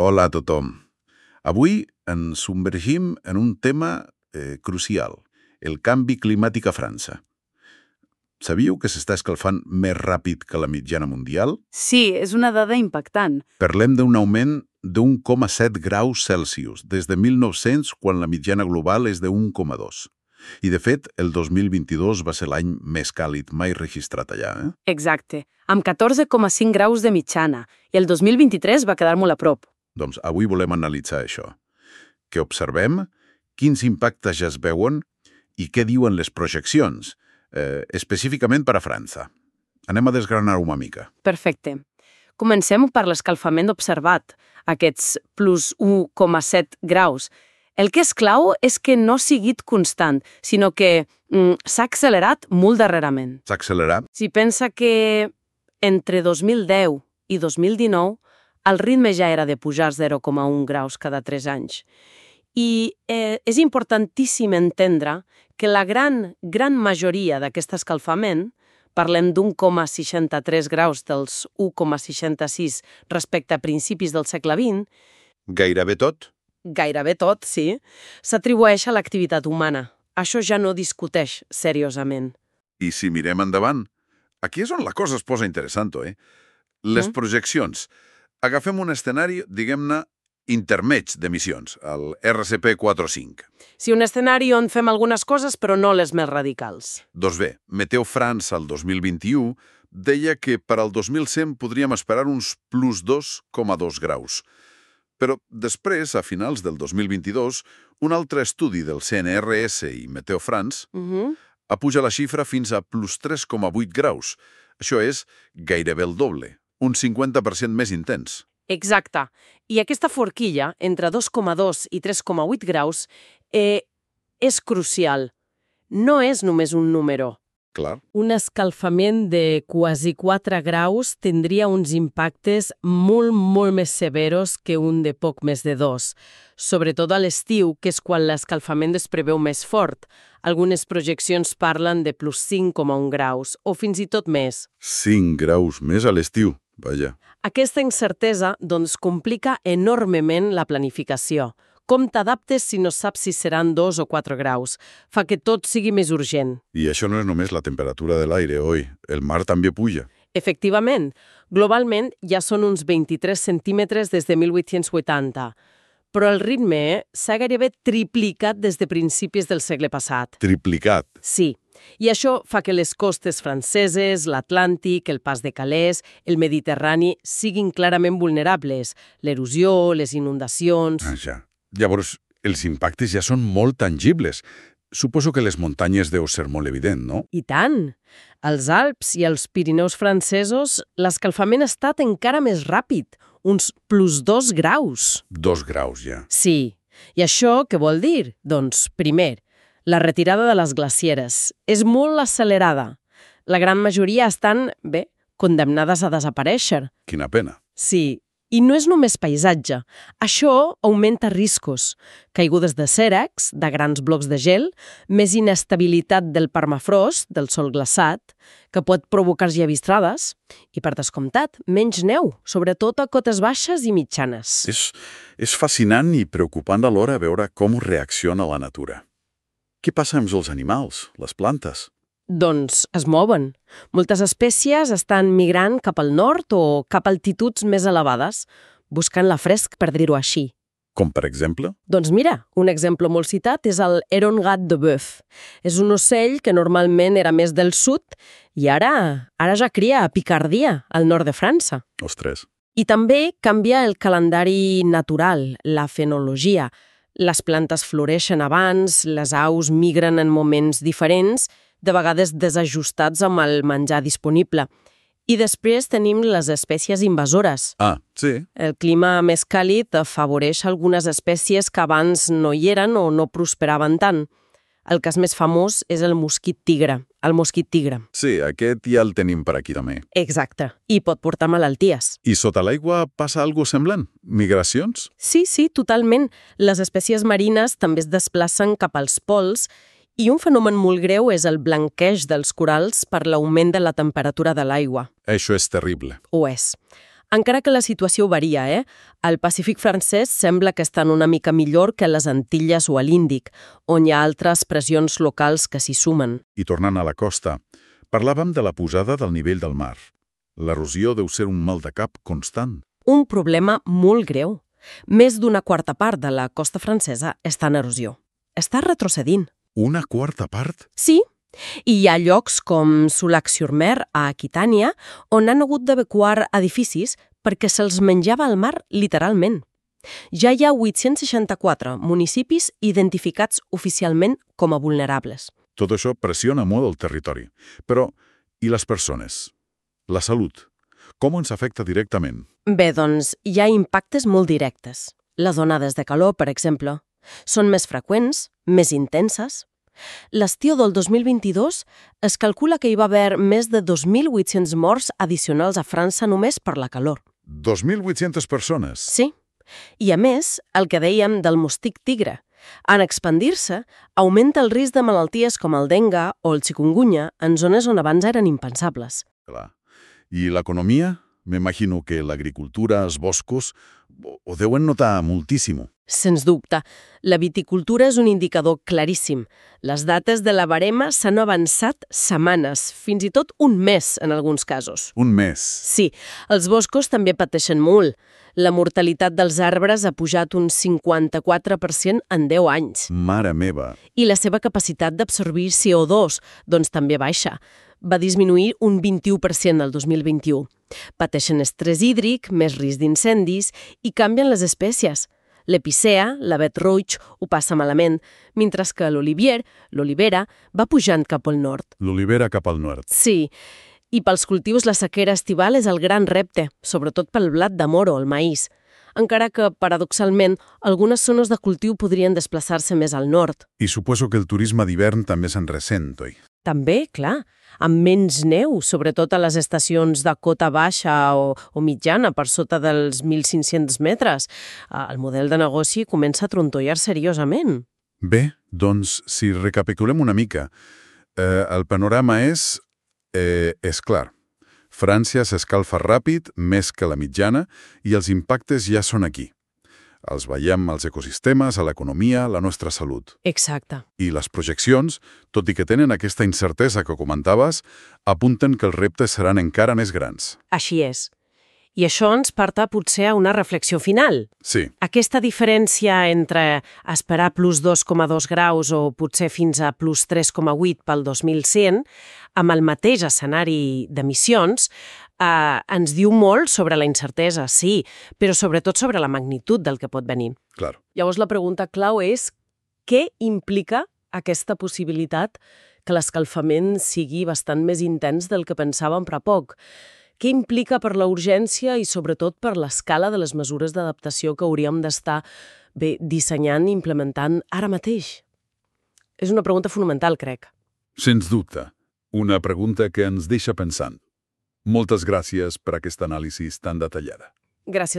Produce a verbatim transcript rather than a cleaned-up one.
Hola a tothom. Avui ens submergim en un tema eh, crucial, el canvi climàtic a França. Sabíeu que s'està escalfant més ràpid que la mitjana mundial? Sí, és una dada impactant. Parlem d'un augment d'un coma set graus Celsius des de mil nou-cents, quan la mitjana global és de un coma dos. I, de fet, el dos mil vint-i-dos va ser l'any més càlid mai registrat allà. Eh? Exacte, amb catorze coma cinc graus de mitjana, i el dos mil vint-i-tres va quedar molt a prop. Doncs avui volem analitzar això. Què observem? Quins impactes ja es veuen? I què diuen les projeccions? Eh, específicament per a França. Anem a desgranar-ho una mica. Perfecte. Comencem per l'escalfament observat, aquests plus un coma set graus. El que és clau és que no ha sigut constant, sinó que mm, s'ha accelerat molt darrerament. S'ha accelerat? Si pensa que entre dos mil deu i dos mil dinou el ritme ja era de pujar zero coma un graus cada tres anys. I eh, és importantíssim entendre que la gran, gran majoria d'aquest escalfament, parlem d'un coma seixanta-tres graus dels un coma seixanta-sis respecte a principis del segle vint, Gairebé tot? gairebé tot, sí, s'atribueix a l'activitat humana. Això ja no discuteix seriosament. I si mirem endavant, aquí és on la cosa es posa interessant, eh? Les Mm. projeccions. Agafem un escenari, diguem-ne, intermeig d'emissions, el R C P quatre o cinc. Sí, un escenari on fem algunes coses, però no les més radicals. Doncs bé, Meteo France el dos mil vint-i-u deia que per al dos mil cent podríem esperar uns plus dos coma dos graus. Però després, a finals del dos mil vint-i-dos, un altre estudi del C N R S i Meteo France Mhm. apuja la xifra fins a plus tres coma vuit graus. Això és gairebé el doble, un cinquanta per cent més intens. Exacte. I aquesta forquilla, entre dos coma dos i tres coma vuit graus, eh, és crucial. No és només un número. Clar. Un escalfament de quasi quatre graus tindria uns impactes molt, molt més severos que un de poc més de dos. Sobretot a l'estiu, que és quan l'escalfament es preveu més fort. Algunes projeccions parlen de plus cinc coma un graus, o fins i tot més. cinc graus més a l'estiu, vaja. Aquesta incertesa, doncs, complica enormement la planificació. Com t'adaptes si no saps si seran dos o quatre graus? Fa que tot sigui més urgent. I això no és només la temperatura de l'aire, oi? El mar també puja. Efectivament, globalment ja són uns vint-i-tres centímetres des de mil vuit-cents vuitanta, però el ritme s'ha gairebé triplicat des de principis del segle passat. Triplicat. Sí, i això fa que les costes franceses, l'Atlàntic, el pas de Calais, el Mediterrani siguin clarament vulnerables. L'erosió, les inundacions... Ah, ja. Llavors, els impactes ja són molt tangibles. Suposo que les muntanyes deu ser molt evident, no? I tant! Als Alps i als Pirineus francesos l'escalfament ha estat encara més ràpid, uns plus dos graus. Dos graus, ja. Sí. I això què vol dir? Doncs, primer, la retirada de les glacieres és molt accelerada. La gran majoria estan, bé, condemnades a desaparèixer. Quina pena. Sí, i no és només paisatge. Això augmenta riscos. Caigudes de cèrrecs, de grans blocs de gel, més inestabilitat del permafrost, del sòl glaçat, que pot provocar llevistrades, i, per descomptat, menys neu, sobretot a cotes baixes i mitjanes. És, és fascinant i preocupant alhora veure com reacciona la natura. Què passa amb els animals, les plantes? Doncs es mouen. Moltes espècies estan migrant cap al nord o cap a altituds més elevades, buscant la fresc, per dir-ho així. Com, per exemple? Doncs mira, un exemple molt citat és el Héron gat de bœuf. És un ocell que normalment era més del sud i ara, ara ja cria a Picardia, al nord de França. Ostres. I també canvia el calendari natural, la fenologia. Les plantes floreixen abans, les aus migren en moments diferents, de vegades desajustats amb el menjar disponible. I després tenim les espècies invasores. Ah, sí. El clima més càlid afavoreix algunes espècies que abans no hi eren o no prosperaven tant. El cas més famós és el mosquit tigre, el mosquit tigre. Sí, aquest ja el tenim per aquí també. Exacte, i pot portar malalties. I sota l'aigua passa alguna semblant? Migracions? Sí, sí, totalment. Les espècies marines també es desplacen cap als pols. I un fenomen molt greu és el blanqueig dels corals per l'augment de la temperatura de l'aigua. Això és terrible. Ho és. Encara que la situació varia, eh? El Pacífic francès sembla que estan una mica millor que les Antilles o a l'Índic, on hi ha altres pressions locals que s'hi sumen. I tornant a la costa, parlàvem de la pujada del nivell del mar. L'erosió deu ser un mal de cap constant. Un problema molt greu. Més d'una quarta part de la costa francesa està en erosió. Està retrocedint. Una quarta part? Sí, i hi ha llocs com Soulac-sur-Mer, a Aquitània, on han hagut d'evacuar edificis perquè se'ls menjava el mar literalment. Ja hi ha vuit-cents seixanta-quatre municipis identificats oficialment com a vulnerables. Tot això pressiona molt el territori. Però, i les persones? La salut? Com ens afecta directament? Bé, doncs, hi ha impactes molt directes. Les onades de calor, per exemple, són més freqüents, més intenses. L'estiu del dos mil vint-i-dos es calcula que hi va haver més de dos mil vuit-cents morts addicionals a França només per la calor. dos mil vuit-centes persones? Sí. I a més, el que dèiem del mosquit tigre. En expandir-se, augmenta el risc de malalties com el dengue o el chikungunya en zones on abans eren impensables. Clar. I l'economia? M'imagino que l'agricultura, els boscos, ho deuen notar moltíssim. Sens dubte. La viticultura és un indicador claríssim. Les dates de la barema s'han avançat setmanes, fins i tot un mes en alguns casos. Un mes? Sí, els boscos també pateixen molt. La mortalitat dels arbres ha pujat un cinquanta-quatre per cent en deu anys. Mare meva! I la seva capacitat d'absorbir C O dos, doncs també baixa. Va disminuir un vint-i-u per cent el dos mil vint-i-u. Pateixen estrès hídric, més risc d'incendis i canvien les espècies. L'epicea, l'avet roig, ho passa malament, mentre que l'olivier, l'olivera, va pujant cap al nord. L'olivera cap al nord. Sí, i pels cultius la sequera estival és el gran repte, sobretot pel blat de moro, el maïs, encara que, paradoxalment, algunes zones de cultiu podrien desplaçar-se més al nord. I suposo que el turisme d'hivern també se'n ressent, oi? També, clar, amb menys neu, sobretot a les estacions de cota baixa o, o mitjana, per sota dels mil cinc-cents metres. El model de negoci comença a trontollar seriosament. Bé, doncs, si recapitulem una mica, eh, el panorama és, eh, és clar. França s'escalfa ràpid, més que la mitjana, i els impactes ja són aquí. Els veiem als ecosistemes, a l'economia, a la nostra salut. Exacte. I les projeccions, tot i que tenen aquesta incertesa que comentaves, apunten que els reptes seran encara més grans. Així és. I això ens porta potser a una reflexió final. Sí. Aquesta diferència entre esperar plus dos coma dos graus o potser fins a plus tres coma vuit pel dos mil cent, amb el mateix escenari d'emissions, eh, ens diu molt sobre la incertesa, sí, però sobretot sobre la magnitud del que pot venir. Clar. Llavors la pregunta clau és què implica aquesta possibilitat que l'escalfament sigui bastant més intens del que pensàvem fa poc? Què implica per la urgència i sobretot per l'escala de les mesures d'adaptació que hauríem d'estar bé dissenyant i implementant ara mateix? És una pregunta fonamental, crec. Sens dubte. Una pregunta que ens deixa pensant. Moltes gràcies per aquesta anàlisi tan detallada. Gràcies